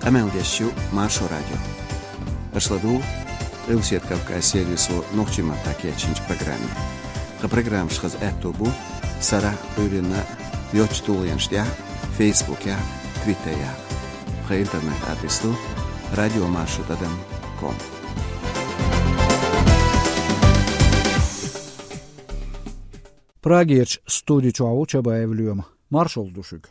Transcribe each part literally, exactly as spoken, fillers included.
Къамел деш ю Маршо радио. Аша ладугӀу Къилбаседа Кавказ сервисо нохчийн маттахь кечйинчу программе. Тхан программаш хаза аьтто бу сарахь а, Ӏуьйранна а йоцачу тулгӀенаш тӀехь а, Фейсбукехь а, Твиттерехь а. Тхан интернет-адрес ду радиомаршо тӀадам ком. Прагерчу студи чохь ву Чабаев Лоьма. Маршалла ду шуьга.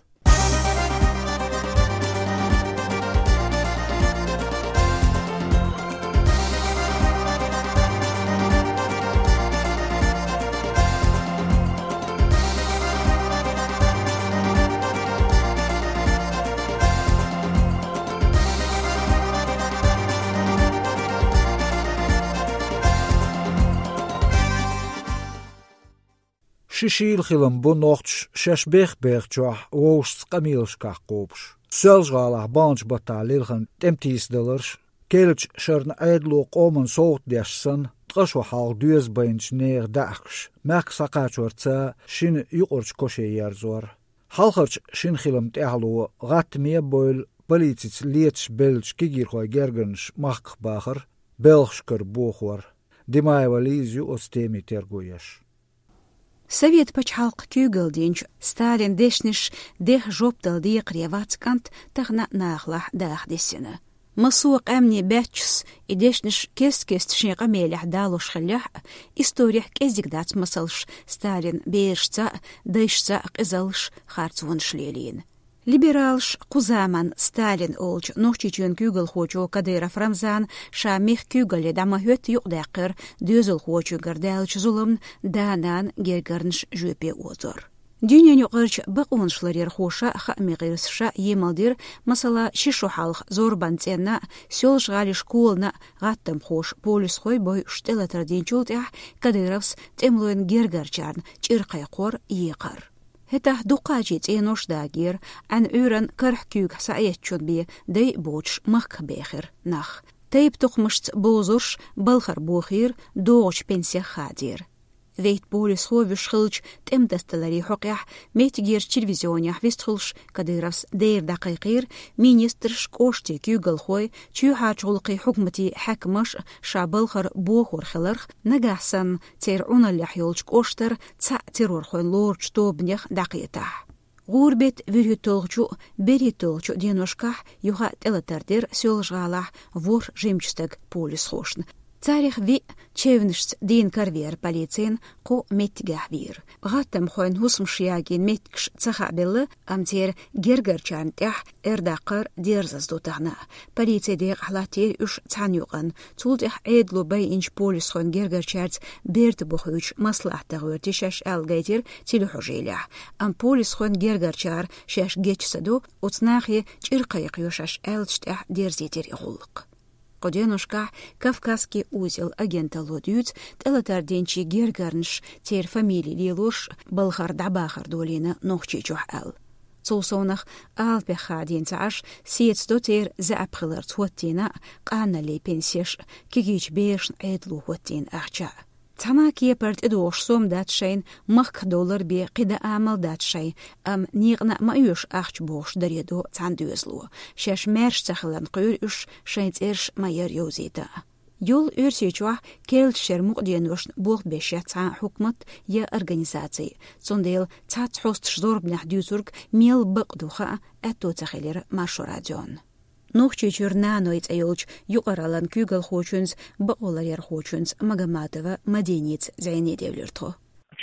Ши шийла хилам бу нохчаша шаьш бех-бехачохь вовшашца къамелашкахь кхобуш. Соьлжа-ГӀалахь баханчу баттахь лелхина тӀематийсадаларш, керлачу шарна Ӏедало къоман совгӀат деш санна, ткъа шо хьалха доьза байначу нехан даьӀахкаш мехках схьакхачорца шина юкъарчу кошан ерзор. Хьалхарчу шина хиламан тӀаьхьало гӀаттаме а бевлла, полицица леташ беллачу кегийрхойн гергарнаш махках бахар, белхаш кара бохор. Димаева Лиза ю оцу темин терго еш. Совет пачхьалкхан куьйгалла динчу Сталинан дешнаш деха жоп дала декхаре вац кӀант тахана нахалахь даха дисина. Массо а къаьмнийн баьччас и дешнаш кест-кеста шен къамелехь далош хиллехь а, историхь кӀезиг дац масалш Сталинан берашца а, дайшца а къизаллаш, харцонаш лелийна. Либералаш кху заманан Сталин олучу Нохчийчоьнан куьйгалхочо Кадыров Рамзана ша мехкан куьйгалле дӀа ма-хӀоьттина юкъадаьккхира доьзалхочуьнгара даьллачу зуламна да-нана гергарнаш жоьпе озор. Дуьненаюкъарчу бакъонаш ларъярхоша а, хаамийн гӀирсаша а емал дира, масала, ши шо хьалха зорбанан цӀенна а, Соьлжа-ГӀалин школана а гӀаттамхоша полисхой бойуш тӀелатар динчул тӀаьхьа Кадыровс тӀемалойн гергарчарна чӀир кхайкхор, екхар. ХӀетахь дуккхачийн цӀенош дагийра, Ӏаьнан Ӏуьйранна карахь куьйгахь схьаэцначун бен дай а боцуш махках бехира нах. Тайп-тукхамашца бовзарш балхара бохийра, догӀучу пенсех хадийра. Вейтта полисхо вуьйш хиллачу тӀематасадаларийн хьокъехь меттигерчу телевизионехь вистхуьлуш Кадыровс дера дӀакхайкхийра, министраш, кӀоштийн куьйгалхой, чоьхьарчу гӀуллакхийн хьукматийн хьаькамаш а ша балхара бохор хиларх, нагахь санна церан Ӏуналлехь йолчу кӀоштара цхьаъ террорхойн лоручу тобанех дӀакхетахь. ГӀуран беттан вуьрхӀитталгӀачу а, берхӀитталгӀачу а деношкахь юха а тӀелатар дира Соьлжа-ГӀалахь ворхӀ жимачу стага полисхошна. Царах виъ чевнашца дийна каравеара полицина, кхо меттигехь вийра. ГӀаттамхойн хӀусамаш ягийна меттигаш ца хаабелла, амма церан гергарчарна тӀехь эр даккхар дерзаза ду тахана. Полицин декъахь латтийра уьш цхьана юкъанна. Цул тӀаьхьа Ӏедало байинчу полисхойн гергарчаьрца берта бухуьйтуш маслаӀат тӀе гӀоьртира шаьш аьлла гайтира телехьожийлехь. Амма полисхойн гергарчара шаьш гечсадо, оцу нахе чӀир кхайкхайо шаьш аьллачу тӀехь дерзийтира и гӀуллакх. Кху деношкахь «Кавказский узел» агенталло дуьйцу тӀелатар динчийн гергарнаш, церан фамили лелош, балхара дӀабахар долийна Нохчийчохь аьлла. Цул совнах, Алапех хадийна ца Ӏаш, сецадо церан заьӀап хиларца хӀоттийна а, къаналлин пенсеш а, кегийчу берашна Ӏедало хӀоттийна ахча а. Цхьана а кепара тӀедогӀуш сом дац шайна, махках довлар бен кхин дан амал дац шайн, амма некъана а ма оьшу ахча бохуш даре до цхьана доьзало. Шаьш маьрша ца хиларна кхоьру уьш шайн цӀераш ма-ярра йовзийта. Йолу Оьрсийчохь керлачу шеран мукъаденошна болх беш яц цхьа а хьукмат я организаци. Цундела цхьацца хьосташ зорбанехь дуьйцург мел бакъ ду хаа аьтто ца хилира Маршо радион. Нохчийчуьра «Наной» цӀе йолчу юкъараллин куьйгалхочуьнца, бакъоларъярхочуьнца Магомадова Мадиница зӀене девлира тхо.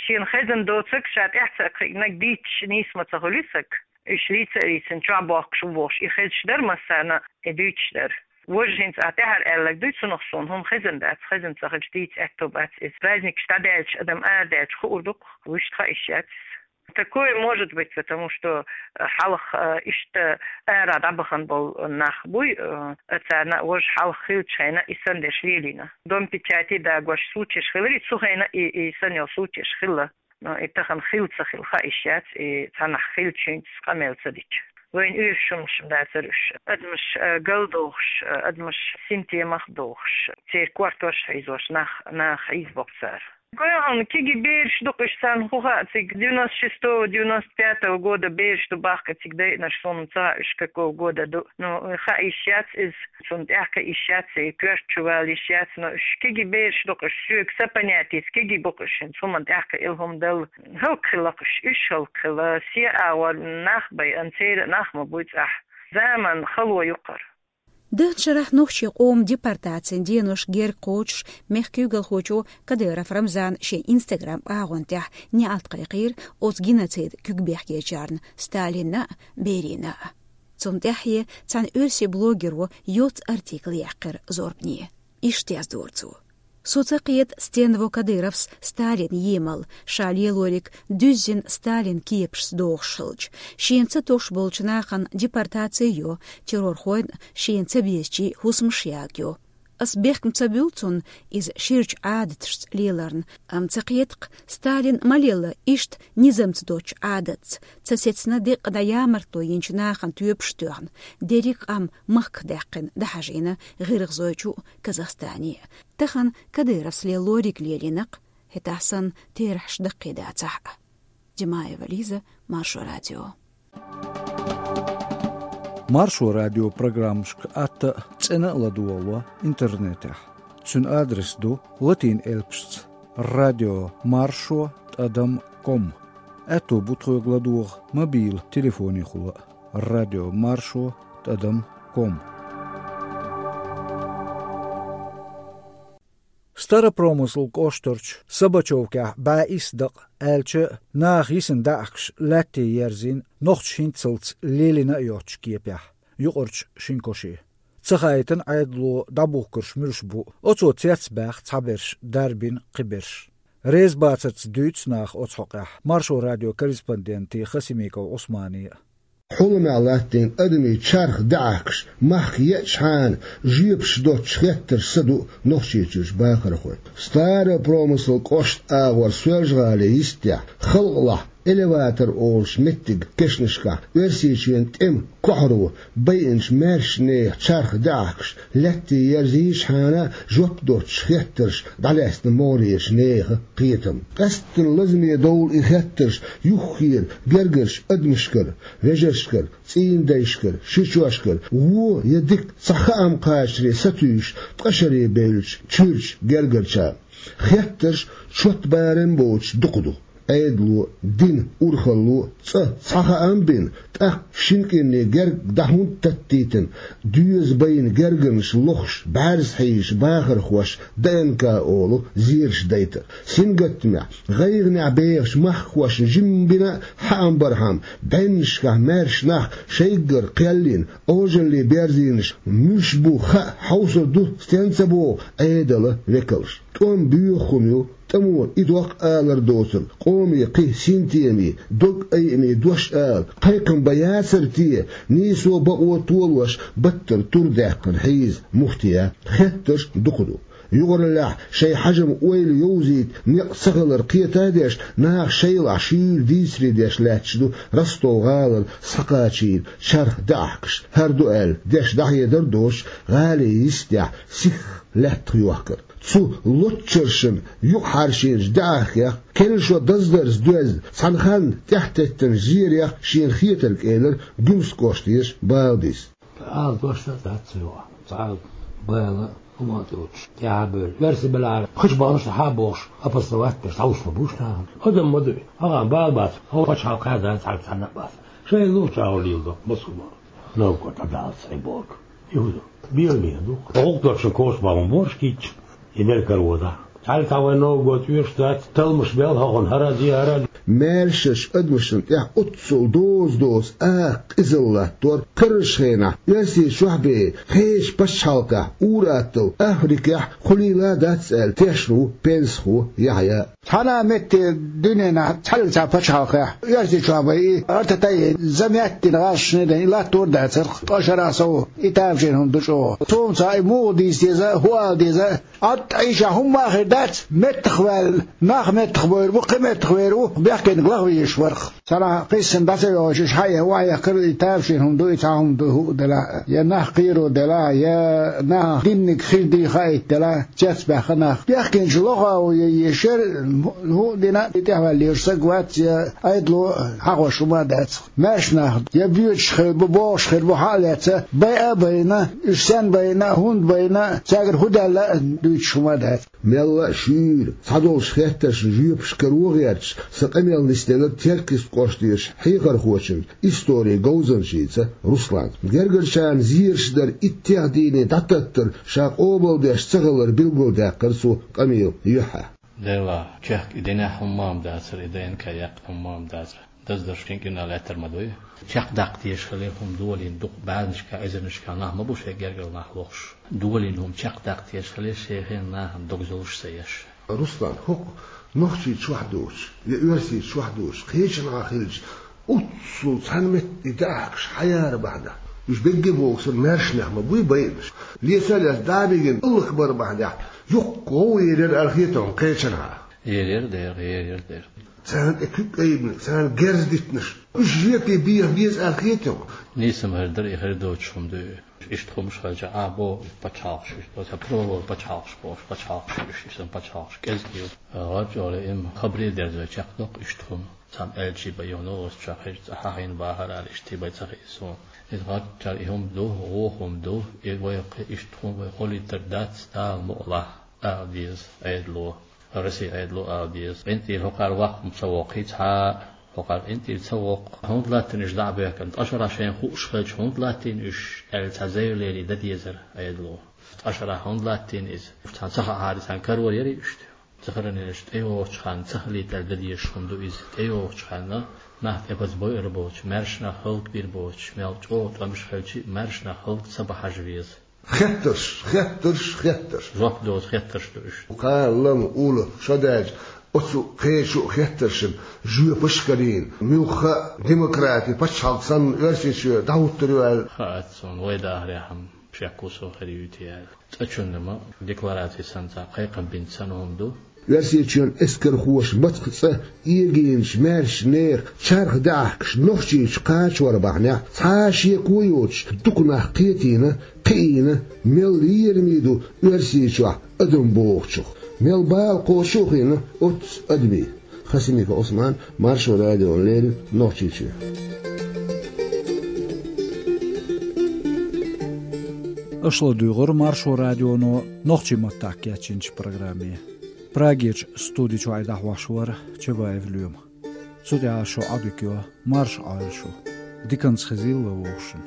Шена хезна доцург ша тӀаьхьа ца кхиънарг дийцича нийса ма ца хуьлу и стаг. Уьш лийца а лийцина, чохь бохкуш ву бохуш, и хезаш дара массарна, и дуьйцуш дара. Важа хӀинца ахь тӀаьхьара аьлларг дуй цунах суна, хӀума хезна дац, хезна ца хилча дийца аьтто бац иза. Праздникаш дӀадаьлча, адам арадаьлча хуур ду-кх, вуьшта хаийш яц иза. Такое может быть, потому что, э, хьалха, э, иштта ара дӀабахана болу нах буй, э, царна а важа хьалха хиллачу хенахь и санна дерш лелийна. Дом печати дагош случаеш хиларе, цу хенахь и, и санна йолу случаеш хилла. Но и тахана хилла ца хилла хаийш яц, и цхьанхьа хиллачуьнца къамел ца дича. Вайна оьшуш хӀуманаш дацара уьш. Адамаш, э, галдохуш, э, адамаш синтемах дохуш, церан кортош хьийзош, нах, нах хьийзабо-кх цара. Кхоьхьун киги бераш ду-кх уьш, царна хӀун хаьа цига, девяносто шестого, девяносто пятого года бераш ду бахка цига дайинарш, суна ца хаьа уьш какого года ду. Ну, хаа йиш яц иза, цунна тӀехь кхиа йиш яц, и коьрта чу вала йиш яц, но уьш киги бераш ду-кх уьш, соьга са понятица киги бу-кх уьш, хӀинца хӀуманна тӀехь кхиъна хӀума дала. ХӀаллакьхилла-кх уьш, уьш хӀаллакьхилла, се агӀор нах байъина, церан нах ма буй цӀахь. Заман хало ю-кх хӀара. Даханчу шарахь нохчийн къоман депортацин денош герга кхочуш, мехкан куьйгалхочо Кадыров Рамзана шен Instagram агӀон тӀехь неӀалт кхайкхийра оцу геноцидана куьг бехкечарна, Сталинна а, Берияна а. Цунна тӀаьхье цхьана оьрсийн блогеро йоццу артикл яьккхира зорбане. Иштта яздора цо: «Со ца кхета, стенна во Кадыровс Сталин емал, ша лелориг дуьззина Сталин кепашца дохуш хилча. Шена ца тосуш болчу нахана депортаци йо, террорхойн шена ца безачийн хӀусамаш ягайо. Ас бехкам ца буьллу цунна иза ширачу Ӏадаташца леларна, амма ца кхета-кх, Сталин ма лелла иштта низамца доцучу Ӏадатца, ца сецна декъа дӀаямартло йинчу нахана тоьпаш а тоьхна, дерриг а къам махках даьккхина дӀахьажийна ГӀиргӀазойчу а, Казахстане а. Тахана Кадыровс лелориг лелийна-кх, хӀетахь санна терахьаш даккхий дацахь а». Димаева Лиза, Маршо радио. Маршо радион программашка атта а, цӀена а ладогӀало интернетехь. Цуьнан адрес ду латин элпашца: радио маршо тӀадам ком. Аьтто бу тхоьга ладогӀа мобил телефонехула а: радио маршо тӀадам ком. Старопромыслан кӀоштарчу Собачевкехь бӀе исс дакъа, аьлча а, наха йисина даьӀахкаш лаьтте ерзийна нохчаша хӀинццалц лелийна а йоцучу кепехь, юкъарчу шина коше. Ца хаийтина Ӏедало дӀабухкурш муьлш бу, оцо цецбаьхна цхьаберш, дарбина кхиберш. Реза бацарца дуьйцу наха оцу хьокъехь Маршо радион корреспонденте Хасимиков Ӏусмане а. Хьуламехь латтийна адамийн чарх даьӀахкаш махка еъчхьана, жоьпаш доцуш хеттарш са ду Нохчийчуьрчу бахархойн. Старопромыслан кӀоштан агӀор Соьлжа-ГӀалин йистехь, халкъалахь элеватор олуш меттиг кешнашкахь Оьрсийчоьнан тӀеман кохьаро байинчу маьршачу нехан чарх даьӀахкаш лаьтте ерзийчхьана, жоп доцуш хеттарш дӀалаьцна могӀарерчу нехан кхетам. Къаьсттина лазаме довла и хеттарш юххера гергарчу адамашкара, вежаршкара, цӀийнан дайшкара, шичошкара, вон я дика цхьа хаам кхачаре сатуьйсуш ткъа шаре бевллачу чуьрачу гергарчарна. Хеттарш чот барам боцуш дукха ду. Ӏедало, дин, урхалло, цӀа цхьа хаам бина, тӀаккха шина кӀирнийн герга дӀа хӀунда таттийтина, доьза байна гергарнаш лохуш, бӀаьрзе хьийзаш бахархоша ДНК олу зераш дайтар. Сингаттамехь, гӀайгӀанехь бехачу махкахошна жимма бина а хаам бархьама, бӀеннашкахь маьрша нах шайггара кхел йина, Ӏожалле берзийнарш муьлш бу хаа хьовсур ду стенна ца боху Ӏедалан векалш. ТӀом боьха хӀума ю, тӀамо и доккха алар доцург, къоме кхин синтеме, дог айаме дош ала, кхайкхам бан яцара те, нийсо бакъо толош, баттара тур даьккхина хьийза муфтият. Хеттарш дукха ду. Юкъараллехь шайн хьажам-ойла йовзийта некъ ца хилар кхета а деш, наха шайлахь шуьйра дийцаре деш лаьтташ ду Ростов-гӀалара схьакхачийна чарх даьӀахкаш. ХӀара ду аьлла, деш дӀахьедар а доцуш, гӀалин йистехь сихха лаьттах йохкар. Цу лоцчаршна юкъахьаьршинчу даьӀахкех, керла шо даздарца доьзна, цхьана ханна тӀаьхьатеттинчу зерех шена хетарг элира Гуьмсан кӀоштан еза Балдис. Ала дош а дац цо, цхьа а бала хӀума а доцуш, тӀаьхьа а бевлла. Оьрсий белахь, кхечу баханаш хьа а бохуш, опознавать деш, дӀалуш ма бу уьш нахана. Адам ма дуй, хьан бала бац, хьо пачхьалкх кхаьрдан цхьаьна цхьанна а бац. Шайн лугӀучу агӀор леладо, Москва, Новгород дӀадаллалц хьайн боху. Юха ду. Бела бен ду. ГӀуллакх дочун коча бан ма борш кийча. И мел каравода. Цхьаьлла цхьа вайн новгӀа тӀоьш дац, талмаш бел хьахуна хӀара а де, хӀара а де. Маьршачу адамашна тӀехь оццул доза-доза акха къизалла латтор, кхерарчу хенахь Оьрсийчохь бен, кхечу пачхьалкхехь, ур-атталла Африкехь кхулийла а дац аьлла, тешна ву пенсахо Яхьъя. Цхьана а метте дуьненахь цхьаьллачу пачхьалкхехь, Оьрсийчохь бен и артатайи заметтина гӀазкхашна и латтор а дацара, ткъа шарахь сов и тамашийна хӀума ду чӀогӀа. Цунна цхьа и муха дийца деза, хӀун ала деза, Ӏад Ӏийша хӀумма а хир дац, меттах ваьлла, нах меттах бовр бу, кхин меттах вер ву, бехкениг лаха везаш варх. Цхьанахьа кхийсина дӀа ца йоагӀаш, уьш хьаэха, охьаэха карий, таьршина хӀума ду, и цхьа хӀума ду, хӀуъа делахь, я нах кхеро делахь, я нахах динниг хир дий хаийта делахь, цецбаьхна нах. Бехкенчу лоха а ву, я ешар, хӀуъа дина, и тӀехваьлла езаш саг вац, я Ӏедало хьахош хӀума а дац. Маьрша нах я боьдуш хир бу, богӀуш хир бу, хьа а лаьцна, байа а байна, уьш сенна байна, хӀунда байна, цаьргара хӀун даьлла а дуьйцуш хӀума а дац. Мелла а шуьйра, цхьадолчу хеттаршна жоьпаш каро а гӀерташ, сан къамел нисделира Теркйист кӀоштара хьехархочун, историн говзанчица Руслана. Гергарчарна зераш дар иттех дийне дӀататтар ша къобалдеш ца хилар билгалдаьккхира цо къамелан юьххьехь. Делахь, чехка и динехь хӀумма а дацара, и ДНК яккха хӀумма а дацара. Даздарш кхин кӀирнах лаьттар ма дуй. Чекхдаккха дезаш хилира хӀума долийна, дукха бӀаьрнашка, эзарнашка нах ма бу шайн гергара нах лохуш. Долийна хӀума чекхдаккха дезаш хилира, шайн хенахь нахана дог зовш ца еш. Руслан, хӀокху Нохчийчохь доцуш, я Оьрсийчохь доцуш, кхечанхьа хилча, уццул цхьана метте даьӀахкаш хьаяра бахьана. Уьш бегге бохург санна маьршанех ма буй байинарш. Леса а лаьцна дӀа а бигина, Аллах бар бахьана, юххе гӀовгӀа елира аьлла хета хьуна кхечанхьа. Елира дера, елира дера. Царна тӀе куьг айбина, царна герз дитинарш. Уьш жоьпе беха беза аьлла хета хьуна. Нийса ма хир дара, и хир доцуш хӀума дуй. Иштта хӀумаш хилча, а, бо пачхьалкхаш, иштта оцу провал пачхьалкхаш бохуш, пачхьалкхаш, иштта иштта пачхьалкхаш кӀезиг ю. ГӀарчӀоле имма хабаре дерзой чекхдоккху иштта хӀума. Цхьана аьлчи бай йоно оцу чохь хӀирца хьахийна бахара аьлла, иштта бай ца хии суна. Иза гӀарчара и хӀума ду, вон хӀума ду, и вай кхин иштта хӀума вай гӀолийтар дац, Дала мукъалахь, ала деза Ӏедало. Россия Ӏедало ала деза. КъинтӀера хӀокхара ваккха ца воккхий цхьа а, хӀокхара къинтӀера ца воккху. ХӀунда латтийна уьш дӀа а баьхкина? Ткъа шарахь шайна хууш хилча, хӀунда латтийна уьш аьлла цхьа заявлени дан дезара Ӏедало. Ткъа шарахь хӀунда латтийна иза? Цхьана ца хаахьара, цхьана карор ярий уьш? Ца хиларна, тӀейогӀучу ханна ца хилийта аьлла дан дезаш хӀума ду иза. ТӀейогӀучу ханна нах тӀе база бойур боцуш, маьршанах хӀаллакбийр боцуш, мел чӀогӀа тӀемаш хилча а, маьршанах хӀаллак ца бан хьажа веза. Хеттарш, хеттарш, хеттарш. Жоп доцу хеттарш ду уьш. Кхана лама, ула, шо даьлча, оцу кхечу хеттаршна жоьпаш а карийна, муьлхха а демократи, пачхьалкх санна Оьрсийчоь дӀахӀуттур ю аьлла. Хаац суна, вай дахарехь-м шек ву со хир юй те аьлла. ЦӀа чунна-м деклараци санна цхьа кхайкхам бинча санна хӀума ду. Оьрсийчоьнан эскархоша мацах цӀа эгийначу маьршачу нехан чарх даьӀахкаш Нохчийчу кхачавар бахьанехь, цхьа а шеко йоцуш, дукха нах кхетийна, кхиийна, мел лераме ду Оьрсийчохь адам бохучух, мел бала кхочуш а хиъна оццу адамийн. Хасимиков Ӏусман, Маршо радиона леррина, Нохчийчоь. Аша ладуьйгӀира Маршо радионо нохчийн маттахь кечйинчу программе. Прагерчу студи чуьра дӀахьош вара Чабаев Лоьма. Цу тӀехь шун Ӏодика йо, марша Ӏойла шу. Диканца хезийла вай вовшашна.